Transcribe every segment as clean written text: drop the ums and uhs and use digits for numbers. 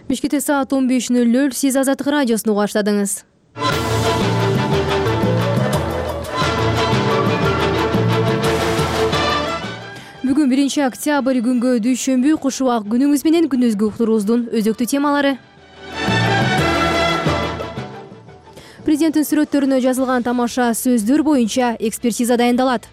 Бишкекте саат 15:00 сиз Азаттык радиосун уга баштадыңыз. Бүгүн 1-октябрь күнгө дүйшөмбү, куш убак күнүңүз менен күнүзгү уктуруубуздун өзөктүү темалары. Президенттин сүрөттөрүнө жазылган тамаша сөздөр боюнча экспертиза дайындалат.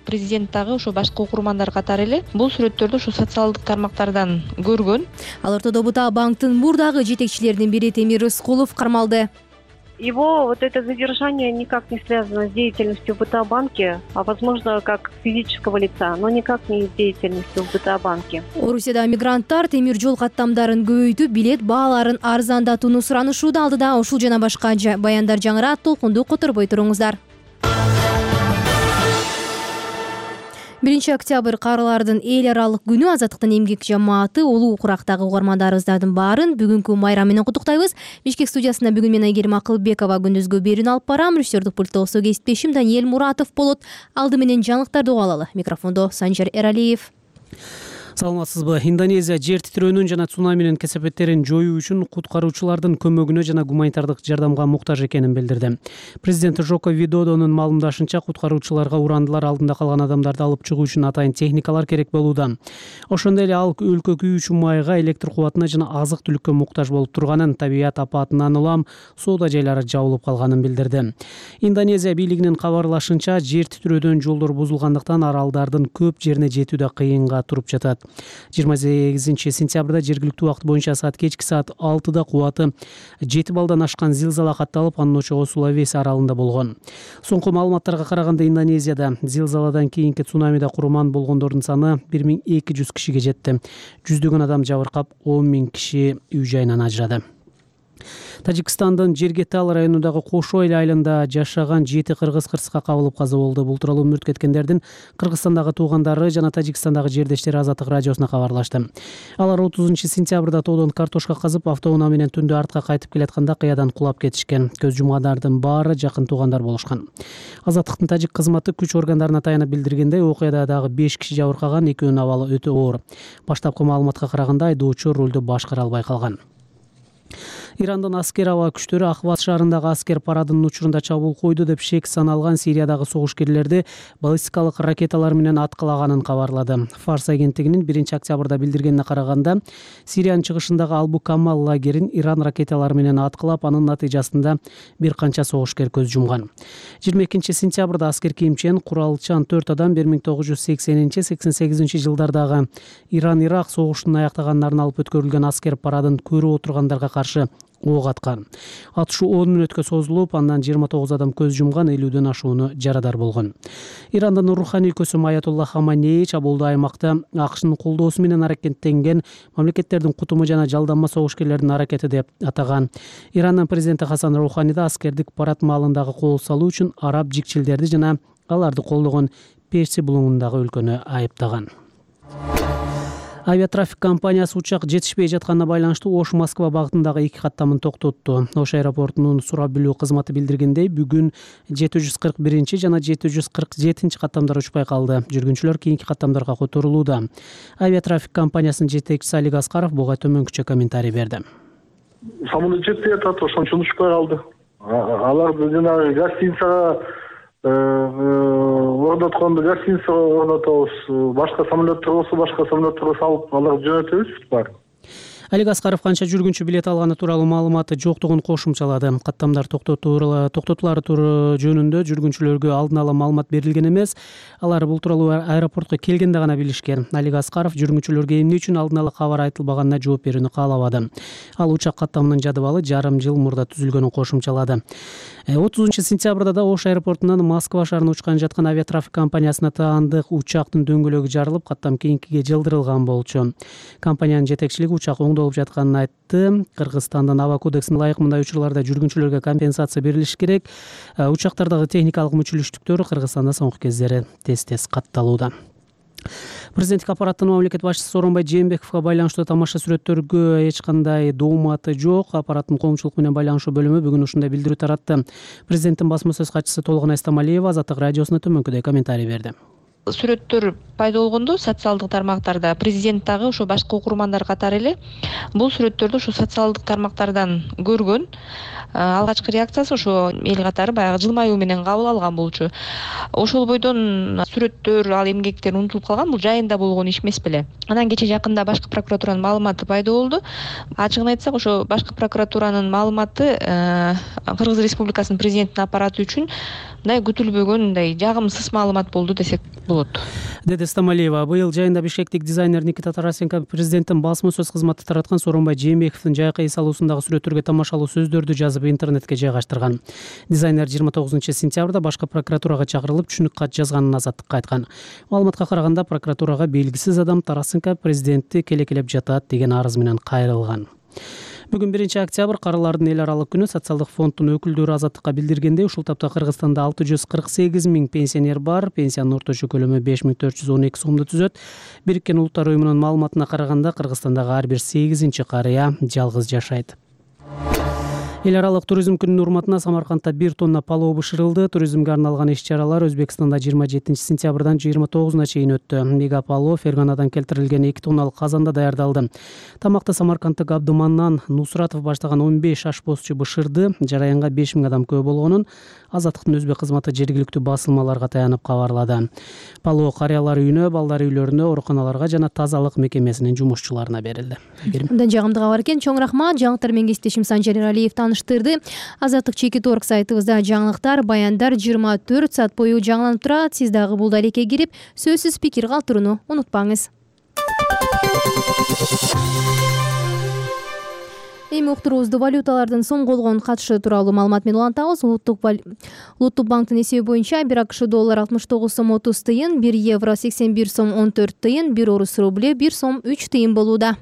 Президент дагы ошо башка окурмандар катары эле бул сүрөттөрдү ушу социалдык тармактардан көргөн. Ал ортодо Бута банктын мурдагы жетекчилеринин бири Темир Рыскулов кармалды. Его вот это задержание никак не связано с деятельностью в БТА-банке, а возможно как физического лица, но никак не с деятельностью в БТА-банке. Орусияда мигранттар темир жол каттамдарын көбөйтүп, билет бааларын арзандатууну суранышууда. Алдыда ушул жана башка баяндар жаңырат, толкунду которбой туруңуздар. 1-октябрь каарылардын эл аралык күнү. Азаттыктын эмгек жамааты улуу курактагы угармандарыбыздардын баарын бүгүнкү майрам менен куттуктайбыз. Бишкек студиясында бүгүн мен Айгерим Акылбекова күндүзгү берүүнү алып барам. Режиссердик пультто осо кесиптешим Даниэль Муратов болот. Алды менен жаңылыктарды угуп алалы. Микрофондо Санжар Эралиев. Саламатсызбы? Индонезия жер титирөөнүн жана цунаминин кесепеттерин жоюу үчүн куткаруучулардын көмөгүнө жана гуманитардык жардамга муктаж экенин билдирди. Президент Жоко Видодонун маалымдашынча, куткаруучуларга урандылар алдында калган адамдарды алып чыгуу үчүн атайын техникалар керек болууда. Ошондой эле ал өлкө күйүүчү майга, электр кубатына жана азык-түлүккө муктаж болуп турганын, табият апатынан улам соода жайлары жабылып калганын билдирди. Индонезия бийлигинин кабарлашынча, жер титирөөдөн жолдор бузулгандыктан аралдардын көп жерине жетүүдө кыйынга туруп жатат. 28-сентябрда жергиликтүү убакыт боюнча кечки саат 6-да кубаты 7 балдан ашкан зилзала катталып, анын очогу Сулавеси аралында болгон. Соңку маалыматтарга караганда, Индонезияда зилзаладан кийинки цунамиде курман болгондордун саны 1200 кишиге жетти. Жүздөгөн адам жабыркап, 10 000 киши үй жайынан ажырады. Тажикстандын Жергетал районундагы Кошой айылында жашаган 7 кыргыз кырсыкка кабылып каза болду. Бул тууралуу мүрт кеткендердин Кыргызстандагы туугандары жана Тажикстандагы жердештери Азаттык радиосуна кабарлашты. Алар 30-сентябрда тоодон картошка казып, автоунаа менен түндө артка кайтып келатканда кыядан кулап кетишкен. Көз жумгандардын баары жакын туугандар болушкан. Азаттыктын тажик кызматы күч органдарына таянып билдиргендей, окуяда дагы 5 киши жабыркаган, экөөнүн абалы өтө оор. Баштапкы маалыматка караганда, айдоочу рулду башкара албай калган. Ирандын аскер аба күчтөрү Ахваз шаарындагы аскер парадынын учурунда чабуул койду деп шек саналган Сириядагы согушкерлерди баллистикалык ракеталар менен аткылаганын кабарлады. Фарс агенттигинин 1-октябрда билдиргенине караганда, Сириянын чыгышындагы Албу-Камал лагерин Иран ракеталары менен аткылап, анын натыйжасында бир канча согушкер көз жумган. 22-сентябрда аскер кийимчен, куралчан 4 адам 1980-88 жылдардагы Иран-Ирак согушунун аяктаганнарын алып өткөрүлгөн аскер парадын көрүп отургандарга каршы ок аткан. Атышуу 10 мүнөткө созулуп, андан 29 адам көз жумган, 50дөн ашууну жарадар болгон. Ирандын руханий көсүм Аятолла Хаманей чабуулду аймакта АКШнын колдоосу менен аракеттенген мамлекеттердин кутуму жана жалданма согушкерлердин аракети деп атаган. Ирандын президенти Хасан Роухани да аскердик парад маалындагы кол салуу үчүн араб жикчилдерди жана аларды колдогон Перси булуңундагы өлкөнү айыптаган. Авиатрафик компаниясы учак жетишпей жатканына байланыштуу Ош-Москва багытындагы 2 каттамын токтотту. Ош аэропортунун сурап билүү кызматы билдиргендей, бүгүн 741 жана 747 каттамдар учпай калды. Жүргүнчүлөр кийинки каттамдарга которулууда. Авиатрафик компаниясынын жетекчиси Алик Аскаров буга төмөнкүчө комментарий берди. Самолет жетпей атат, ошон үчүн учпай калды. Алар жанагы гостиницага орнотконду гостиница орнотобуз, башка самолеттер болсо алып аларды жөнөтөбүз бар. Алик Аскаров канча жүргүнчү билет алганы тууралуу маалыматы жоктугун кошумчалады. Каттамдар токтотулары жөнүндө жүргүнчүлөргө алдын ала маалымат берилген эмес. Алар бул тууралуу аэропортко келгенде гана билишкен. Алик Аскаров жүргүнчүлөргө эмне үчүн алдын ала кабар айтылбаганына жооп берүүнү каалабады. Ал учак каттамынын жадыбалы жарым жыл мурда түзүлгөнүн кошумчалады. 30-сентябрда да Ош аэропортунан Москва шаарына учкан жаткан авиатрафик компаниясына таандык учактын дөңгөлөгү жарылып, каттам кийинкиге жылдырылган болчу. Компаниянын жетекчилиги учак оңдолуп жатканын айтты. Кыргызстандын аба кодексине ылайык мындай учурларда жүргүнчүлөргө компенсация берилиш керек. Учактардагы техникалык мүчүлүштүктөр Кыргызстанда соңку кездери тез катталууда. Президенттик аппараттын мамлекет башчысы Сооронбай Жээнбековго байланыштуу тамаша сүрөттөргө эч кандай дооматы жок. Аппараттын коомчулук менен байланышуу бөлүмү бүгүн ушундай билдирүү таратты. Президенттин басма сөз катчысы Толгонай Стамалиева Азаттык радиосуна төмөнкүдөй комментарий берди. сүрөттөр пайда болгондо социалдык тармактарда президент дагы ошо башка окурмандар катары эле бул сүрөттөрдү ошо социалдык тармактардан көргөн. Алгачкы реакциясы ошо эл катары баягы жылмаюу менен кабыл алган болчу. Ошол бойдон сүрөттөр, ал эмгектер унутулуп калган, бул жайында болгон иш эмес беле. Анан кече жакында башкы прокуратуранын маалыматы пайда болду. Ачыгын айтсак, ошо башкы прокуратуранын маалыматы Кыргыз Республикасынын президентинин аппараты үчүн мындай күтүлбөгөн, мындай жагымсыз маалымат болду десек болот, деди Стамалиева. Быйыл жайында бишкектик дизайнер Никита Тарасенко президенттин басма сөз кызматы тараткан Сооронбай Жээнбековдун жайкы эс алуусундагы сүрөттөргө тамашалуу сөздөрдү жазып интернетке жайгаштырган. Дизайнер 29-сентябрда башкы прокуратурага чакырылып түшүнүк кат жазганын Азаттыкка айткан. Маалыматка караганда прокуратурага белгисиз адам Тарасенко президентти келекелеп жатат деген арыз менен кайрылган. Бүгүн 1-октябрь карылардын эл аралык күнү. Социалдык фонддун өкүлдөрү Азаттыкка билдиргендей, ушул тапта Кыргызстанда 648 000 пенсионер бар. Пенсиянын орточо көлөмү 5412 сомду түзөт. Бириккен Улуттар уюмунун маалыматына караганда Кыргызстандагы ар бир 8-чи карыя жалгыз жашайт. Эл аралык туризм күнүнүн урматына Самаркандда 1 тонна палоо бышырылды. Туризмге арналган иш-чаралар Өзбекстанда 27-сентябрдан 29-на чейин өттү. Мегапалоо Ферганадан келтирилген 2 тонналык казанда даярдалды. Тамакты Самарканддык Абдыманнан Нусратов баштаган 15 ашпозчу бышырды. Жараянга 5000 адам күбө болгонун Азаттыктын өзбек кызматы жергиликтүү басылмаларга таянып кабарлады. Палоо карыялар үйүнө, балдар үйлөрүнө, ооруканаларга жана тазалык мекемесинин жумушчуларына берилди. Мындан жагымдуу кабар экен. Чоң рахмат. Жаңылыктар менен кесиптешим Санжар Эралиев таныштырды. Азаттык Чекит.орг сайтыбызда жаңылыктар, баяндар 24 саат бою жаңыланып турат. Сиз дагы бул далекке кирип, сөзсүз пикир калтырууну унутпаңыз. Эми уктуруубузду валюталардын сом колгон катышы тууралуу маалымат менен улантабыз. Улуттук банктын эсеби боюнча 1 АКШ доллар 69 сом 30 тыйын, 1 евро 81 сом 14 тыйын, 1 орус рубле 1 сом 3 тыйын болууда.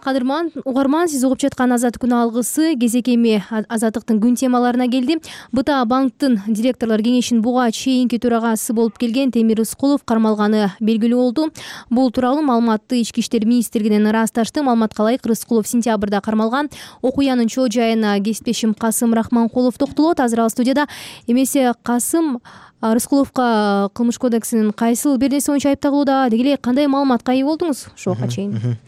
Кадырман угарман, сиз угуп жаткан Азаттык күн алгысы кезек эми Азаттыктын күн темаларына келди. БТА банктын директорлор кеңешинин буга чейинки төрагасы болуп келген Темир Рыскулов кармалганы белгилүү болду. Бул тууралуу маалыматты Ички иштер министрлигинен ырасташты. Маалыматка ылайык, Рыскулов сентябрда кармалган. Окуянын чоо жайына кесиптешим Касым Рахманкулов токтолот. Азыр ал студияда. Эмесе Касым, Рыскуловго кылмыш кодексинин кайсыл бир нерсе боюнча айыпталууда, деги эле кандай маалыматка ээ болдуңуз ошого чейин?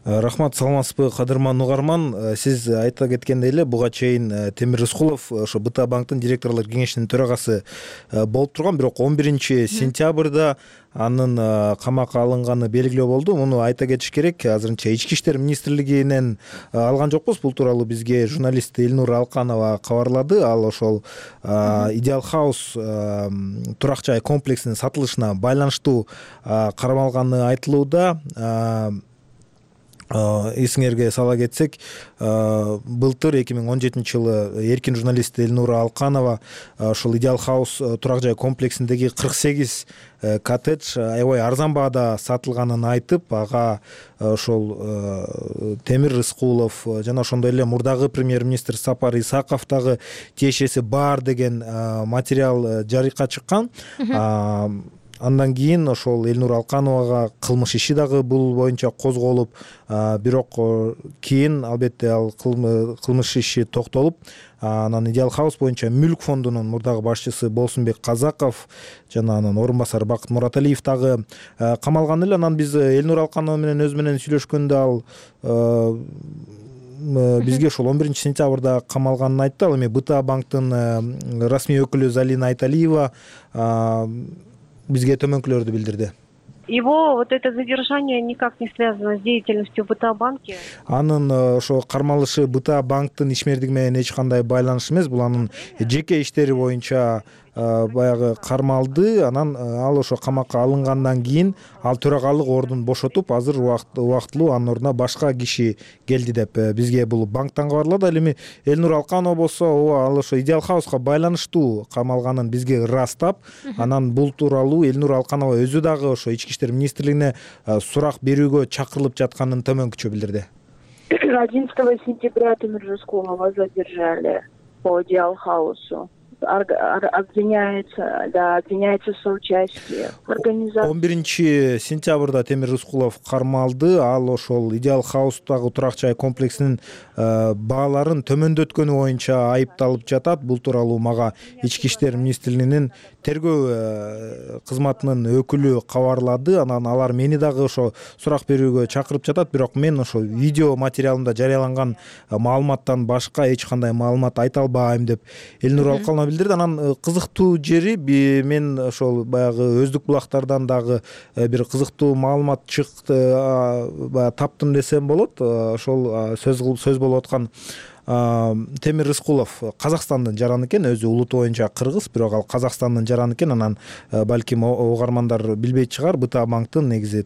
Рахмат, саламатсызбы кадырман угарман. Сиз айта кеткендей эле буга чейин Темир Рыскулов ошо БТА банктын директорлор кеңешинин төрагасы болуп турган, бирок 11-сентябрда анын камакка алынганы белгилүү болду. Муну айта кетиш керек. Азырынча Ички иштер министрлигинен алган жокпуз. Бул тууралуу бизге журналист Элнур Алканова кабарлады. Ал ошол Идеал Хаус турак жай комплексинин сатылышына байланыштуу кармалганы айтылууда. Эсиңерге сала кетсек, былтыр 2017-жылы эркин журналист Элнура Алканова ошол Идеал Хаус турак жай комплексиндеги 48 коттедж аябай арзан баада сатылганын айтып, ага ошол Темир Рыскулов жана ошондой эле мурдагы премьер-министр Сапар Исаков дагы тиешеси бар деген материал жарыкка чыккан. Андан кийин ошол Элнур Алкановага кылмыш иши дагы бул боюнча козголуп, бирок кийин албетте ал кылмыш иши токтолуп, анан Идеал Хаус боюнча мүлк фондунун мурдагы башчысы Болсунбек Казаков жана анын орун басары Бакыт Мураталиев дагы камалган эле. Анан биз Элнур Алканова менен өзү менен сүйлөшкөндө ал бизге ошол 11-сентябрда камалганын айтты. Ал эми БТА банктын расмий өкүлү Залина Айталиева бизге төмөнкүлөрдү билдирди. Его вот это задержание никак не связано с деятельностью БТА банки. Анын ошо кармалышы БТА банктын ишмердиги менен эч кандай байланыш эмес. Бул анын жеке иштери боюнча баягы кармалды. Анан ал ошо камакка алынгандан кийин ал төрагалык ордун бошотуп, азыр убактылуу анын ордуна башка киши келди деп бизге бул банктан кабарлады. Ал эми Элнур Алканова болсо, ал ошо Идеал Хауска байланыштуу камалганын бизге ырастап, анан бул тууралуу Элнур Алканова өзү дагы ошо Ички иштер министрлигине сурак берүүгө чакырылып жатканын төмөнкүчө билдирди. 11 сентября Темир Рыскулова задержали по Идеал Хаусу. обвиняется в соучастии в организации. 11 Темир Рыскулов кармалды. Ал ошол Идеал Хаустагы турак жай комплексинин бааларын төмөндөткөнү боюнча айыпталып жатат. Бул тууралуу мага Ички иштер министрлигинин тергөө кызматынын өкүлү кабарлады. Анан алар мени дагы ошо сурак берүүгө чакырып жатат. Бирок мен ошо видео материалында жарыяланган маалыматтан башка эч кандай маалымат айта албайм деп Элнур Алкалова билдирди. Анан кызыктуу жери мен ошол баягы өздүк булактардан дагы бир кызыктуу маалымат чыкты, таптым десем болот. Ошол сөз болуп аткан Темир Рыскулов Казакстандын жараны экен, өзү улуту боюнча кыргыз, бирок ал Казакстандын жараны экен. Анан балким угармандар билбейт чыгар, БТА банктын негизи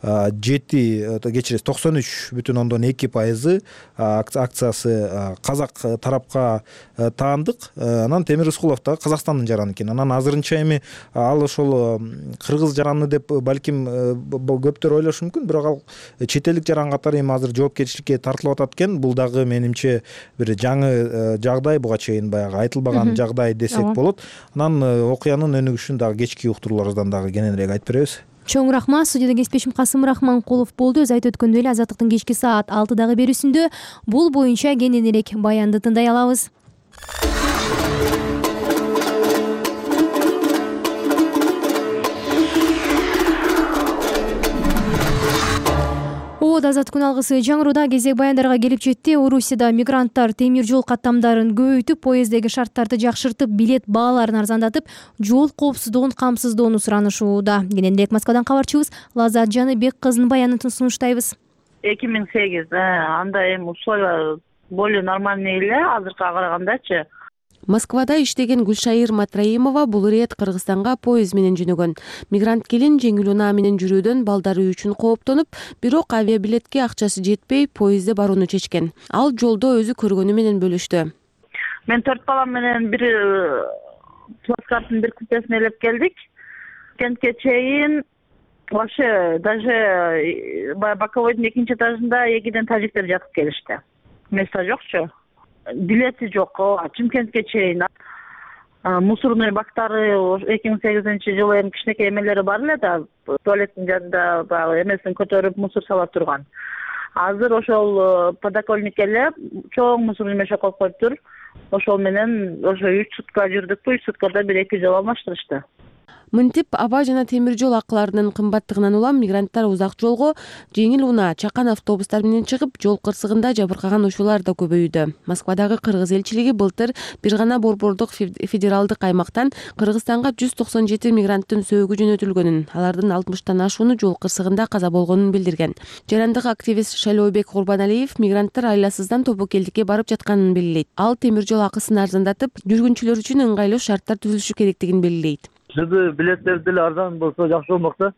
93,2% акциясы казак тарапка таандык. Анан Темир Рыскулов да Казакстандын жараны экен. Анан азырынча эми ал ошол кыргыз жараны деп балким көптөр ойлошу мүмкүн, бирок ал чет элдик жаран катары эми азыр жоопкерчиликке тартылып атат экен. Бул дагы менимче бир жаңы жагдай, буга чейин баягы айтылбаган жагдай десек болот. Анан окуянын өнүгүшүн дагы кечки уктурууларыбыздан дагы кененирээк айтып беребиз. Чоң рахмат. Студияда кесипдешим Касым Рахманкулов болду. Өз айтып өткөндөй эле Азаттыктын кечки саат 6-дагы берүүсүндө бул боюнча кененирээк баянды тындай алабыз. Азат күн алгысы жаңыруда кезек баяндарга келип жетти. Орусияда мигранттар темир жол каттамдарын көбөйтүп, поезддеги шарттарды жакшыртып, билет бааларын арзандатып, жол коопсуздугун камсыздоону суранышууда. Кененирээк Москвадан кабарчыбыз Лазат Жаныбек кызынын баянын сунуштайбыз. 2008 анда эми условия более нормальный эле, азыркыга карагандачы. Москвада иштеген Гүлшайыр Матраимова бул ирет Кыргызстанга поезд менен жөнөгөн. Мигрант келин жеңил унаа менен жүрүүдөн балдары үчүн кооптонуп, бирок авиабилетке акчасы жетпей, поездде барууну чечкен. Ал жолдо өзү көргөнү менен бөлүштү. Мен 4 балам менен бир плацкарттын бир купесине элеп келдик. Кентке чейин вообще даже боковойдун экинчи этажында экиден тажиктер жатып келишти. Место жокчу. Билети жок. Чымкентке чейин мусорный бактары 2008-жылы эми кичинекей эмелери бар эле да, туалеттин жанында баягы эмесин көтөрүп мусор сала турган. Азыр ошол подоконник эле чоң мусорный мешок коюп коюптур. Ошол менен ошо 3 сутка жүрдүкпү, 3 суткада бир 2 жол алмаштырышты. Мынтип аба жана темир жол акыларынын кымбаттыгынан улам мигранттар узак жолго жеңил унаа, чакан автобустар менен чыгып, жол кырсыгында жабыркаган учурлар да көбөйүүдө. Москвадагы кыргыз элчилиги былтыр бир гана борбордук федералдык аймактан Кыргызстанга 197 мигранттын сөөгү жөнөтүлгөнүн, алардын 60тан ашууну жол кырсыгында каза болгонун билдирген. Жарандык активист Шайлообек Курбаналиев мигранттар айласыздан Тобокелдикке барып жатканын белгилейт. Ал темир жол акысын арзандатып, жүргүнчүлөр үчүн ыңгайлуу шарттар түзүлүшү керектигин белгилейт. Билеттер деле арзан болсо жакшы болмок да.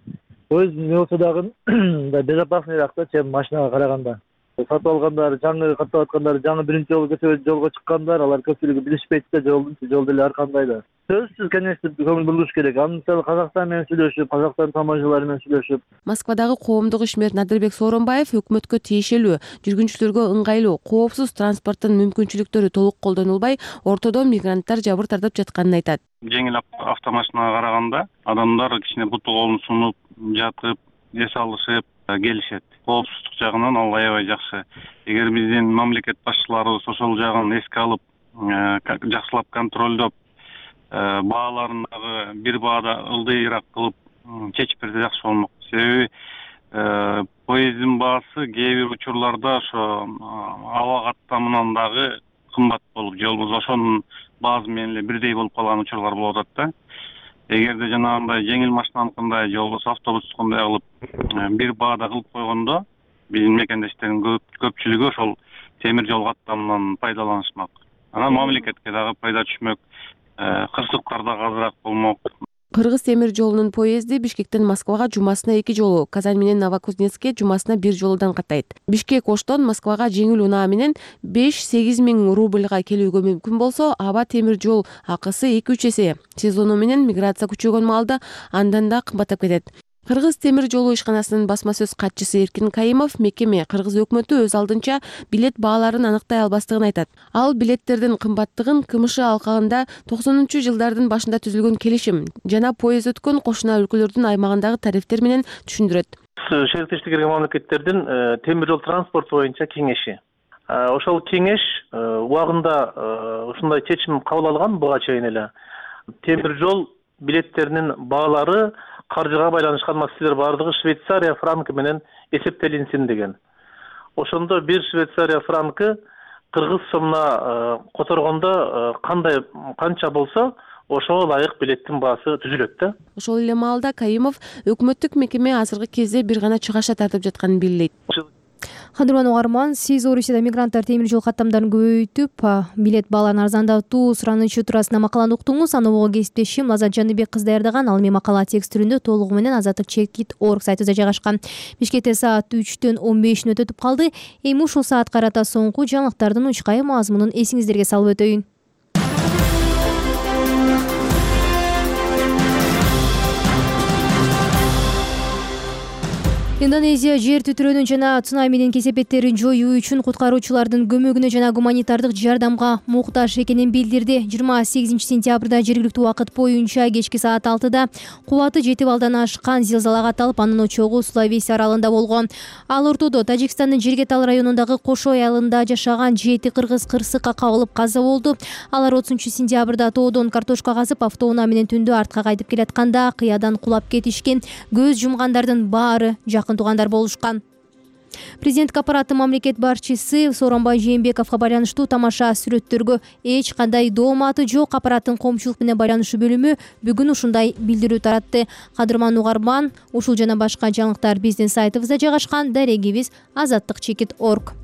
Поезд не болсо дагы безопаснийраак да, чем машинага караганда. Сатып алгандар, жаңы каттап аткандар, жаңы биринчи жолго чыккандар, алар көпчүлүгү билишпейт да жол деле ар кандай да. Сөзсүз, конечно, көңүл бурулуш керек. Ал мисалы Казакстан менен сүйлөшүп, Казакстан таможнялары менен сүйлөшүп. Москвадагы коомдук ишмер Надырбек Сооронбаев өкмөткө тиешелүү, жүргүнчүлөргө ыңгайлуу, коопсуз транспорттун мүмкүнчүлүктөрү толук колдонулбай, ортодо мигранттар жабыр тартып жатканын айтат. Жеңил автомашинага караганда адамдар кичине буту колун сунуп, жатып, эс алышып келишет. Коопсуздук жагынан ал аябай жакшы. Эгер биздин мамлекет башчыларыбыз ошол жагын эске алып, жакшылап контролдоп, бааларын дагы бир баада ылдыйраак кылып чечип берсе жакшы болмок. Себеби поезддин баасы кээ бир учурларда ошо аба каттамынан дагы кымбат болуп, же болбосо ошонун баасы менен эле бирдей болуп калган учурлар болуп атат да. Эгерде жанагындай жеңил машинаныкындай же болбосо автобустукундай кылып бир баада кылып койгондо биздин мекендештердин көпчүлүгү ошол темир жол каттамынан пайдаланышмак. Анан мамлекетке дагы пайда түшмөк, кырсыктар дагы азыраак болмок. Кыргыз темир жолунун поезди Бишкектен Москвага жумасына 2 жолу, Казань менен Новокузнецкке жумасына 1 жолудан каттайт. Бишкек-Оштон Москвага жеңил унаа менен 5-8 миң рубльга келүүгө мүмкүн болсо, аба темир жол акысы 2-3 эсе. Сезону менен миграция күчөгөн маалда андан да кымбаттап кетет. Кыргыз темир жолу ишканасынын басма сөз катчысы Эркин Кайымов мекеме Кыргыз өкмөтү өз алдынча билет бааларын аныктай албастыгын айтат. Ал билеттердин кымбаттыгын КМШ алкагында 90-жылдардын башында түзүлгөн келишим жана поезд өткөн кошуна өлкөлөрдүн аймагындагы тарифтер менен түшүндүрөт. Шериктештикке кирген мамлекеттердин темир жол транспорту боюнча кеңеши. Ошол кеңеш убагында ушундай чечим кабыл алган буга чейин эле. Темир жол билеттеринин баалары каржыга байланышкан маселелер баардыгы Швейцария франкы менен эсептелинсин деген. Ошондо бир Швейцария франкы кыргыз сомуна которгондо канча болсо ошого ылайык билеттин баасы түзүлөт да. Ошол эле маалда Кайымов өкмөттүк мекеме азыркы кезде бир гана чыгаша тартып жатканын белгилейт. Кадырлуу угарман, сиз Орусияда мигранттар темир жол каттамдарын көбөйтүп, билет бааларын арзандатуу суранычы туурасында макаланы уктуңуз. Аны угуу кесиптешим Азат Жаныбек кыз даярдаган. Ал эми макала текст түрүндө толугу менен azatlik.org сайтыбызда жайгашкан. Бишкекте саат 3-төн 15 өтүп калды. Эми ушул саат карата соңку жаңылыктардын учкай мазмунун эсиңиздерге салып өтөйүн. Индонезия жер титирөөнүн жана цунаминин кесепеттерин жоюу үчүн куткаруучулардын көмөгүнө жана гуманитардык жардамга муктаж экенин билдирди. 28 сентябрда жергиликтүү убакыт боюнча кечки саат 6-да кубаты 7 балдан ашкан зилзала катталып, анын очогу Сулавеси аралында болгон. Ал ортодо Тажикстандын Жиргетал районундагы Кошой айылында жашаган 7 кыргыз кырсыкка кабылып каза болду. Алар 30 сентябрда тоодон картошка казып, автоунаа менен түндө артка кайтып келатканда кыядан кулап кетишкен. Көз жумгандардын баары жакын туугандар болушкан. Президенттик аппараты мамлекет башчысы Сооронбай Жээнбековго байланыштуу тамаша сүрөттөргө эч кандай дооматы жок. Аппараттын коомчулук менен байланышы бөлүмү бүгүн ушундай билдирүү таратты. Кадырман угарман, ушул жана башка жаңылыктар биздин сайтыбызда жайгашкан. Дарегибиз azatlik.org.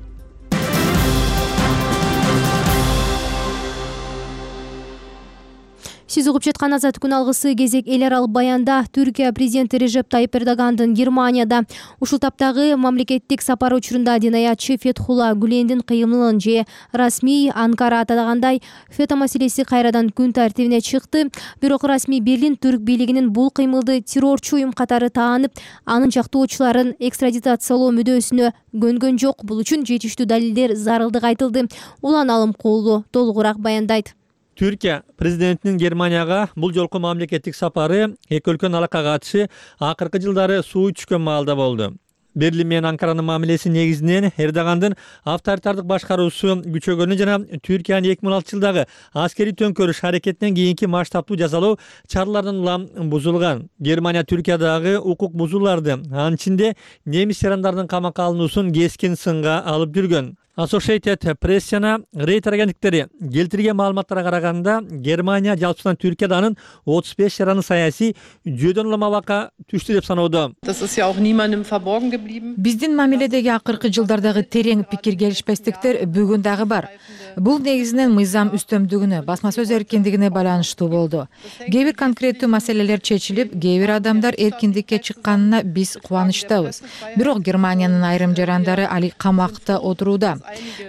Сиз угуп жаткан Азат күн алгысы кезек эл аралык баянда Түркия президенти Режеп Тайип Эрдогандын Германияда ушул таптагы мамлекеттик сапары учурунда динаятчы Фетхулла Гүлендин кыймылын же расмий Анкара атагандай фето маселеси кайрадан күн тартибине чыкты. Бирок расмий Берлин түрк бийлигинин бул кыймылды террорчу уюм катары таанып, анын жактоочуларын экстрадициялоо мүдөөсүнө көнгөн жок. Бул үчүн жетиштүү далилдер зарылдыгы айтылды. Улан Алымкулу толугураак баяндайт. Түркия президентинин Германияга бул жолку мамлекеттик сапары эки өлкөнүн алакага катышы акыркы жылдары суу түшкөн маалда болду. Берлин менен Анкаранын мамилеси негизинен Эрдогандын авторитардык башкаруусу күчөгөнү жана Түркиянын 2006 жылдагы аскерий төңкөрүш аракетинен кийинки масштабтуу жазалоо чараларынан улам бузулган. Германия Түркиядагы укук бузууларды, анын ичинде немис жарандардын камакка алынуусун кескин сынга алып жүргөн. Associated Press жана Reuters агенттиктери келтирген маалыматтарга караганда, Германия жалпысынан Түркияда анын 35 жараны саясий жүйөдөн улам абакка түштү деп саноодо. Биздин мамиледеги акыркы жылдардагы терең пикир келишпестиктер бүгүн дагы бар. Бул негизинен мыйзам үстөмдүгүнө, басма сөз эркиндигине байланыштуу болду. Кээ бир конкреттүү маселелер чечилип, кээ бир адамдар эркиндикке чыкканына биз кубанычтабыз. Бирок Германиянын айрым жарандары али камакта отурууда.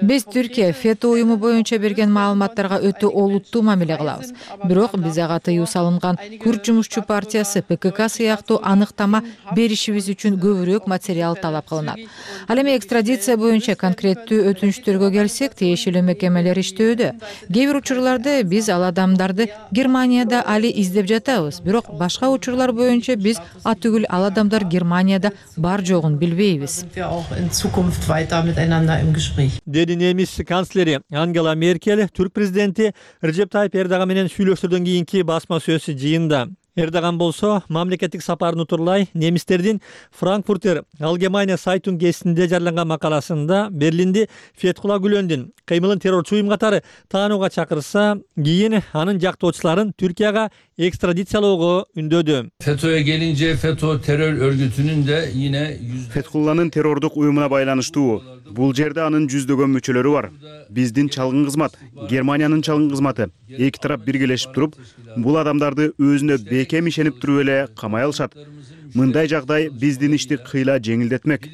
Биз Түркия фето уюму боюнча берген маалыматтарга өтө олуттуу мамиле кылабыз. Бирок биз ага тыюу салынган Күрд жумушчу партиясы ПКК сыяктуу аныктама беришибиз үчүн көбүрөөк материал талап кылынат. Ал эми экстрадиция боюнча конкреттүү өтүнүчтөргө келсек, тиешелүү мекемелер иштөөдө. Кээ бир учурларда биз ал адамдарды Германияда али издеп жатабыз. Бирок башка учурлар боюнча биз атүгүл ал адамдар Германияда бар жогун билбейбиз. Деди немис канцлери Ангела Меркель түрк президенти Режеп Тайип Эрдоган менен сүйлөшүүдөн кийинки басма сөз жыйында. Эрдоган болсо мамлекеттик сапарын утурлай немистердин Frankfurter Allgemeine Zeitung гезитинде жарыяланган макаласында Берлинди Фетхулла Гүлендин кыймылын террорчу уюм катары таанууга чакырса, кийин анын жактоочуларын Түркияга экстрадициялоого үндөдү. FETÖ'ye gelince FETÖ terör örgütünün de yine Fethullah'nın terördük uyumuna байланыштуу. Бул жерде анын жүздөгөн мүчөлөрү бар. Биздин чалгын кызмат, Германиянын чалгын кызматы эки тарап биргелешип туруп, бул адамдарды өзүнө бекем ишенип туруп эле камай алышат. Мындай жагдай биздин ишти кыйла жеңилдетмек.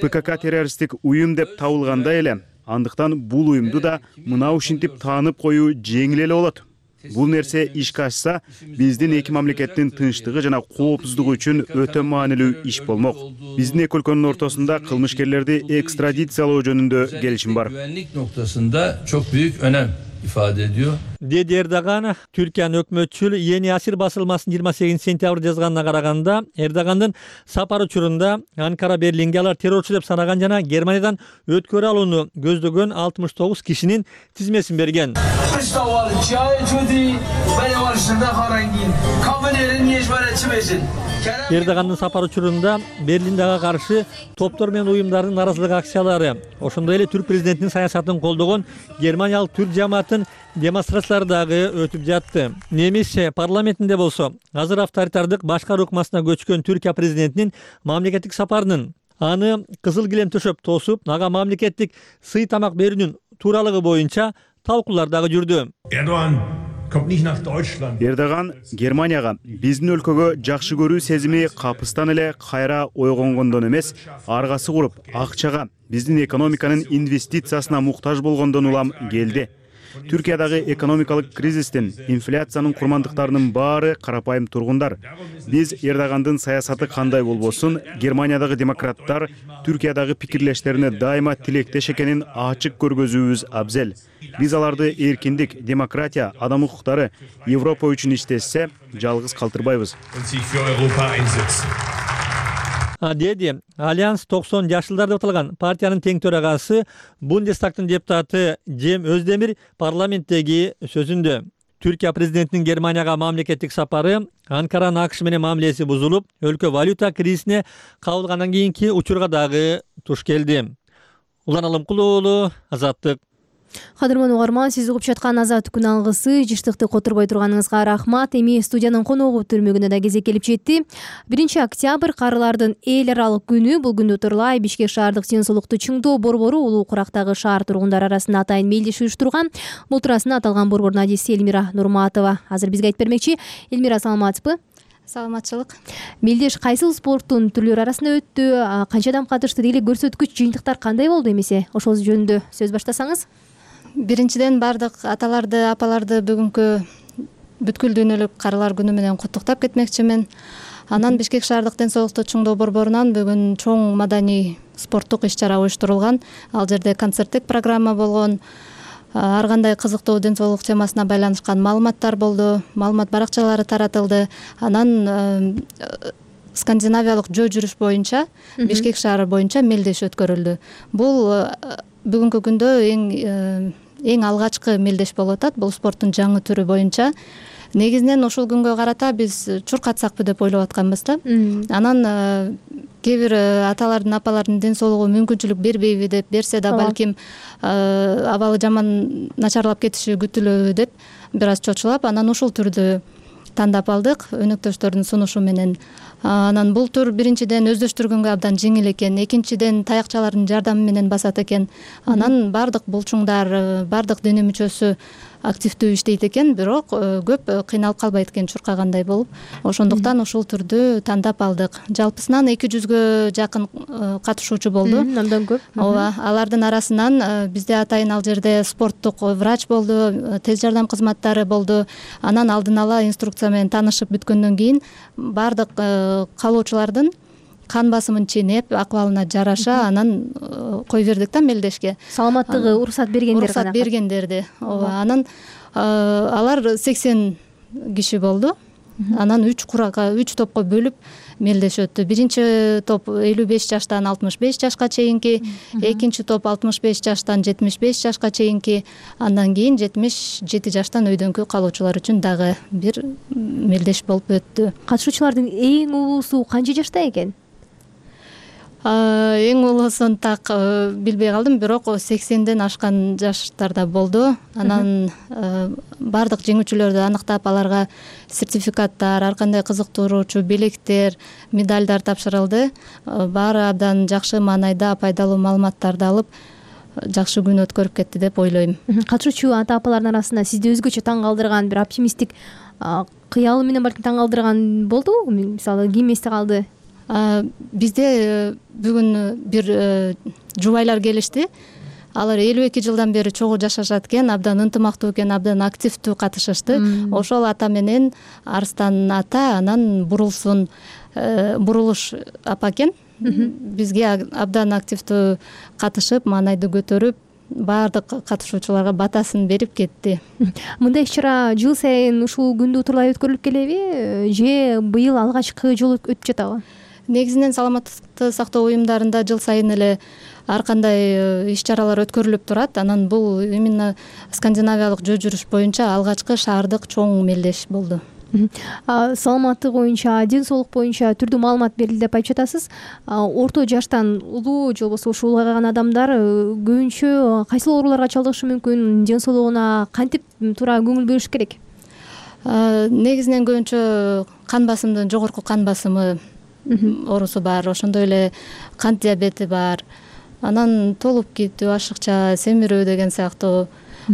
ПКК террористтик уюм деп табылгандай эле, андыктан бул уюмду да мына ушинтип таанып коюу жеңил эле болот. бул нерсе ишке ашса, биздин эки мамлекеттин тынчтыгы жана коопсуздугу үчүн өтө маанилүү иш болмок. Биздин эки өлкөнүн ортосунда кылмышкерлерди экстрадициялоо жөнүндө келишим бар. Güvenlik noktasında çok büyük önem ifade ediyor. деди Эрдоган. Түркиянын өкмөтчүл Yeni Asir басылмасынын 28 сентябрь жазганына караганда, Эрдогандын сапары учурунда Анкара Берлинге алар террорчу деп санаган жана Германиядан өткөрө алууну көздөгөн 69 кишинин тизмесин берген. Эрдогандын сапары учурунда Берлиндеге каршы топтор менен уюмдардын наразылык акциялары, ошондой эле түрк президентинин саясатын колдогон германиялык түрк жамааттын демонстрациялары дагы өтүп жатты. Немис парламентинде болсо, азыр авторитардык башкаруу ыкмасына көчкөн Түркия президентинин мамлекеттик сапарынын аны кызыл килем төшөп тосуп, ага мамлекеттик сый тамак берүүнүн тууралыгы боюнча талкуулар дагы жүрдү. Эрдоган Германияга биздин өлкөгө жакшы көрүү сезими капыстан эле кайра ойгонгондон эмес, аргасы куруп, акчага, биздин экономиканын инвестициясына муктаж болгондон улам келди. Түркиядагы экономикалык кризистин, инфляциянын курмандыктарынын баары карапайым тургундар. Биз Эрдогандын саясаты кандай болбосун, Германиядагы демократтар Түркиядагы пикирлештерине дайыма тилектеш экенин ачык көргөзүүбүз абзел. Биз аларды эркиндик, демократия, адам укуктары, Европа үчүн иштешсе, жалгыз калтырбайбыз. Деди Альянс 90 жашылдар деп аталган партиянын тең төрагасы, Бундестагтын депутаты Жем Өздемир парламенттеги сөзүндө Түркия президентинин Германияга мамлекеттик сапары Анкаранын АКШ менен мамилеси бузулуп, өлкө валюта кризисине кабылгандан кийинки учурга дагы туш келди. Улан Алымкулуу уулу, Азаттык. Кадырман угарман, сиз угуп жаткан Азаттык күн алгысы, жыштыкты котурбой турганыңызга рахмат. Эми студиянын коногу түрмөгүнө да кезек келип жетти. 1 октябрь карылардын эл аралык күнү. Бул күндү турлай Бишкек шаардык ден соолукту чыңдоо борбору улуу курактагы шаар тургундары арасында атайын мелдеш уюштурган. Бул туурасында аталган борбордун адиси Элмира Нурматова азыр бизге айтып бермекчи. Элмира, саламатсызбы? Саламатчылык. Мелдеш кайсыл спорттун түрлөрү арасында өттү? Канча адам катышты? Деги көрсөткүч жыйынтыктар кандай болду эмесе? Ошол жөнүндө сөз баштасаңыз. Биринчиден бардык аталарды, апаларды бүгүнкү бүткүл дүйнөлүк карылар күнү менен куттуктап кетмекчимин. Анан Бишкек шаардык ден соолукту чыңдоо борборунан бүгүн чоң маданий спорттук иш-чара уюштурулган. Ал жерде концерттик программа болгон. Ар кандай кызыктуу ден соолук темасына байланышкан маалыматтар болду. Маалымат баракчалары таратылды. Анан скандинавиялык жөө жүрүш боюнча Бишкек шаары боюнча мелдеш өткөрүлдү. Бул бүгүнкү күндө эң алгачкы мелдеш болуп атат. Бул спорттун жаңы түрү боюнча. Негизинен ушул күнгө карата биз чуркатсакпы деп ойлоп атканбыз да. Анан кээ бир аталардын, апалардын ден соолугу мүмкүнчүлүк бербейби деп, берсе да балким абалы жаман начарлап кетиши күтүлөбү деп бир аз чочулап, анан ушул түрдү тандап алдык өнөктөштөрдүн сунушу менен. Анан бул тур биринчиден өздөштүргөнгө абдан жеңил экен, экинчиден таякчалардын жардамы менен басат экен. Анан бардык булчуңдар, бардык дене мүчөсү активдүү иштейт экен, бирок көп кыйналып калбайт экен чуркагандай болуп. Ошондуктан ушул түрдү тандап алдык. Жалпысынан 200гө жакын катышуучу болду. Андан көп. Ооба, алардын арасынан бизде атайын ал жерде спорттук врач болду, тез жардам кызматтары болду. Анан алдын ала инструкция менен таанышып бүткөндөн кийин бардык каалоочулардын кан басымын ченеп, акыбалына жараша анан кое бердик да мелдешке. Саламаттыгы уруксат бергендер гана. Уруксат бергендерди. Ооба, анан алар 80 киши болду. Анан 3 топко бөлүп мелдеш өттү. Биринчи топ 55 жаштан 65 жашка чейинки, экинчи топ 65 жаштан 75 жашка чейинки, андан кийин 77 жаштан өйдөнкү калуучулар үчүн дагы бир мелдеш болуп өттү. Катышуучулардын эң улуусу канча жашта экен? Эң улуусун так билбей калдым, бирок 80ден ашкан жаштарда болду. Анан бардык жеңүүчүлөрдү аныктап, аларга сертификаттар, ар кандай кызыктыруучу белектер, медалдар тапшырылды. Баары абдан жакшы маанайда, пайдалуу маалыматтарды алып, жакшы күн өткөрүп кетти деп ойлойм. Катышуучу ата-апалардын арасында сизди өзгөчө таң калтырган, бир оптимисттик кыялы менен балким таң калтырган болдубу? Мисалы, ким эсте калды? Бизде бүгүн бир жубайлар келишти. алар 52 жылдан бери чогуу жашашат экен, абдан ынтымактуу экен, абдан активдүү катышышты. Ошол ата менен Арыстан ата, анан Бурулуш апа экен бизге абдан активдүү катышып, маанайды көтөрүп, баардык катышуучуларга батасын берип кетти. Мындай иш-чара жыл сайын ушул күндү утурлай өткөрүлүп келеби же быйыл алгачкы жолу өтүп жатабы? Негизинен саламаттыкты сактоо уюмдарында жыл сайын эле ар кандай иш-чаралар өткөрүлүп турат. Анан бул именно скандинавиялык жөө жүрүш боюнча алгачкы шаардык чоң мелдеш болду. Саламаттык боюнча, ден соолук боюнча түрдүү маалымат берилди деп айтып жатасыз. Орто жаштан улуу же болбосо ушул улгайган адамдар көбүнчө кайсы ооруларга чалдыгышы мүмкүн, ден соолугуна кантип туура көңүл бөлүш керек? Негизинен көбүнчө кан басымдын жогорку кан басымы оорусу бар, ошондой эле кант диабети бар, анан толуп кетүү, ашыкча, семирүү деген сыяктуу,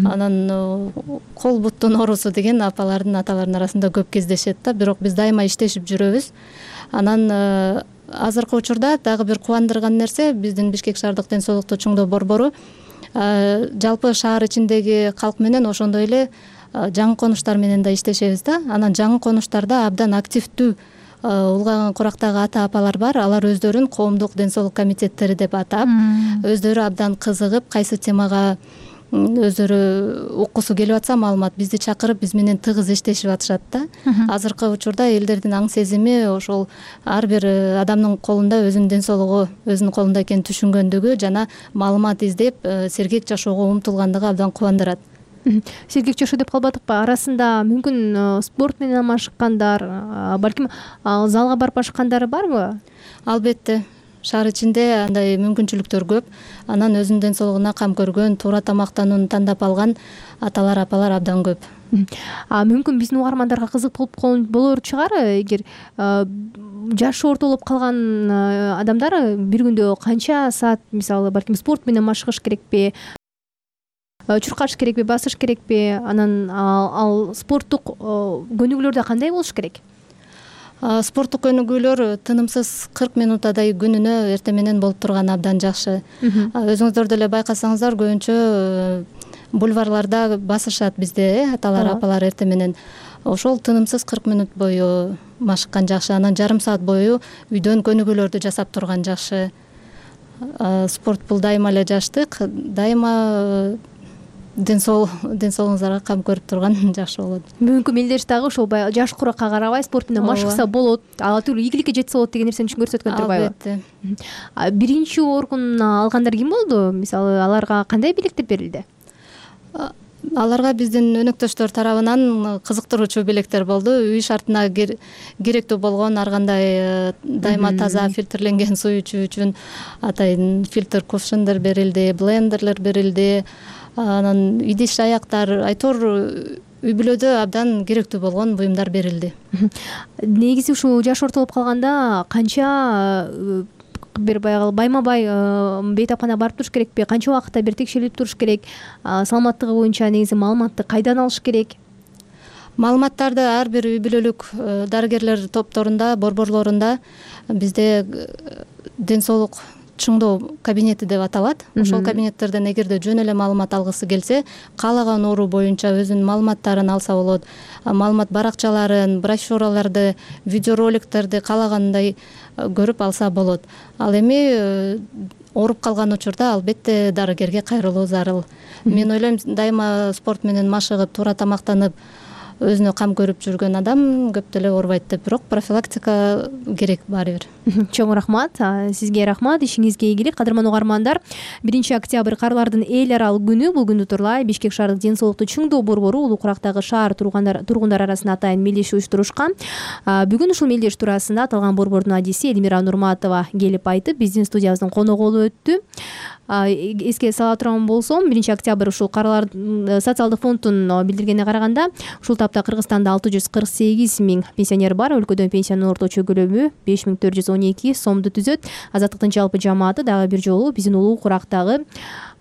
анан кол буттун оорусу деген апалардын, аталардын арасында көп кездешет да, бирок биз дайыма иштешип жүрөбүз. Анан азыркы учурда дагы бир кубандырган нерсе, биздин Бишкек шаардык ден соолукту чыңдоо борбору жалпы шаар ичиндеги калк менен ошондой эле жаңы конуштар менен да иштешебиз да. Анан жаңы конуштарда абдан активдүү улгайган курактагы ата апалар бар. Алар өздөрүн коомдук ден соолук комитеттери деп атап, өздөрү абдан кызыгып, кайсы темага өздөрү уккусу келип атса маалымат бизди чакырып, биз менен тыгыз иштешип атышат да. Азыркы учурда элдердин аң сезими ошол ар бир адамдын колунда, өзүнүн ден соолугу өзүнүн колунда экенин түшүнгөндүгү жана маалымат издеп сергек жашоого умтулгандыгы абдан кубандырат. Сергек жашоо деп калбадыкпы? Арасында мүмкүн спорт менен алмашкандар, балким залга барып ашкандары барбы? Албетте. Шаар ичинде андай мүмкүнчүлүктөр көп. Анан өзүнүн ден соолугуна кам көргөн, туура тамактанууну тандап алган аталар, апалар абдан көп. Мүмкүн биздин угармандарга кызык болор чыгар, эгер жашы ортолоп калган адамдар бир күндө канча саат, мисалы, балким спорт менен машыгыш керекпи, чуркаш керекпи, басыш керекпи, анан ал спорттук көнүгүүлөрдө кандай болуш керек? Спорттук көнүгүүлөр тынымсыз 40 минутадай күнүнө эртең менен болуп турган абдан жакшы. Өзүңүздөр деле байкасаңыздар, көбүнчө бульварларда басышат бизде, аталар, апалар эртең менен. Ошол тынымсыз 40 минут бою машыккан жакшы. Анан жарым саат бою үйдөн көнүгүүлөрдү жасап турган жакшы. Спорт бул дайыма эле жаштык, дайыма ден соолугуңуздарга кам көрүп турган жакшы болот. Бүгүнкү мелдеш дагы ошол жаш куракка карабай спорт менен машыкса болот, ала тилүү ийгиликке жетсе болот деген нерсени көрсөткөн турбайбы? Албетте. Биринчи орун алгандар ким болду? Мисалы, аларга кандай белектер берилди? Аларга биздин өнөктөштөр тарабынан кызыктыруучу белектер болду. Үй шартына керектүү болгон ар кандай дайыма таза фильтрленген суу ичүү үчүн атайын фильтр кувшиндер берилди, блендерлер берилди. Анан идиш аяктар, айтор үй бүлөдө абдан керектүү болгон буюмдар берилди. Негизи ушул жаш ортолоп калганда канча бир байма-бай бейтапкана барып туруш керекпи? Канча убакытта бир текшерилип туруш керек? Саламаттыгы боюнча негизи маалыматты кайдан алыш керек? Маалыматтарды ар бир үй бүлөлүк дарыгерлер топторунда, борборлорунда бизде ден соолук чыңдоо кабинети деп аталат. Ошол кабинеттерден эгерде жөн эле маалымат алгысы келсе, каалаган оору боюнча өзүнүн маалыматтарын алса болот. Маалымат баракчаларын, брошюраларды, видеороликтерди каалагандай көрүп алса болот. Ал эми ооруп калган учурда албетте дарыгерге кайрылуу зарыл. Мен ойлойм, дайыма спорт менен машыгып, туура тамактанып, өзүнө кам көрүп жүргөн адам көп деле оорубайт деп, бирок профилактика керек баары бир. Чоң рахмат. Сизге рахмат, ишиңизге ийгилик. Кадырман угармандар, 1-октябрь карлардын эл аралык күнү. Бул күндү турлай Бишкек шаардык ден соолукту чыңдоо борбору улуу курактагы шаар тургундар арасында атайын мелдеш уюштурушкан. Бүгүн ушул мелдеш туурасында аталган борбордун адиси Элмира Нурматова келип айтып, биздин студиябыздын коногу болуп өттү. Эске сала турган болсом, 1-октябрь ушул карлар социалдык фонддун билдиргенине караганда, ушул тапта Кыргызстанда 648 миң пенсионер бар. Өлкөдөн пенсиянын орточо көлөмү 5412 сомду түзөт. Азаттыктын жалпы жамааты дагы бир жолу биздин улуу курактагы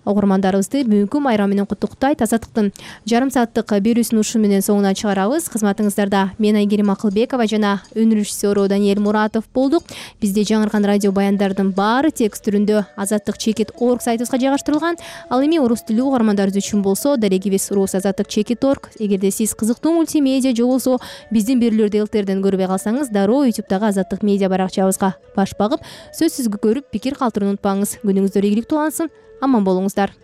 угармандарыбызды бүгүнкү майрам менен куттуктайт. Азаттыктын жарым сааттык берүүсүн ушу менен соңуна чыгарабыз. Кызматыңыздарда мен Айгерим Акылбекова жана өнөр режиссеру Даниэль Муратов болдук. Бизде жаңыркан радио баяндардын баары текст түрүндө azattik.org сайтыбызга жайгаштырылган. Ал эми орус тилдүү угармандарыбыз үчүн болсо дарегибиз rus@azattik.org. Эгерде сиз кызыктуу мультимедиа же болбосо биздин берүүлөрдү ЛТРден көрбөй калсаңыз, дароо YouTube'дагы Азаттык медиа баракчабызга баш багып, сөзсүз көрүп, пикир калтырууну унутпаңыз. Күнүңүздөр ийгиликтүү улансын. Аман болуңуздар.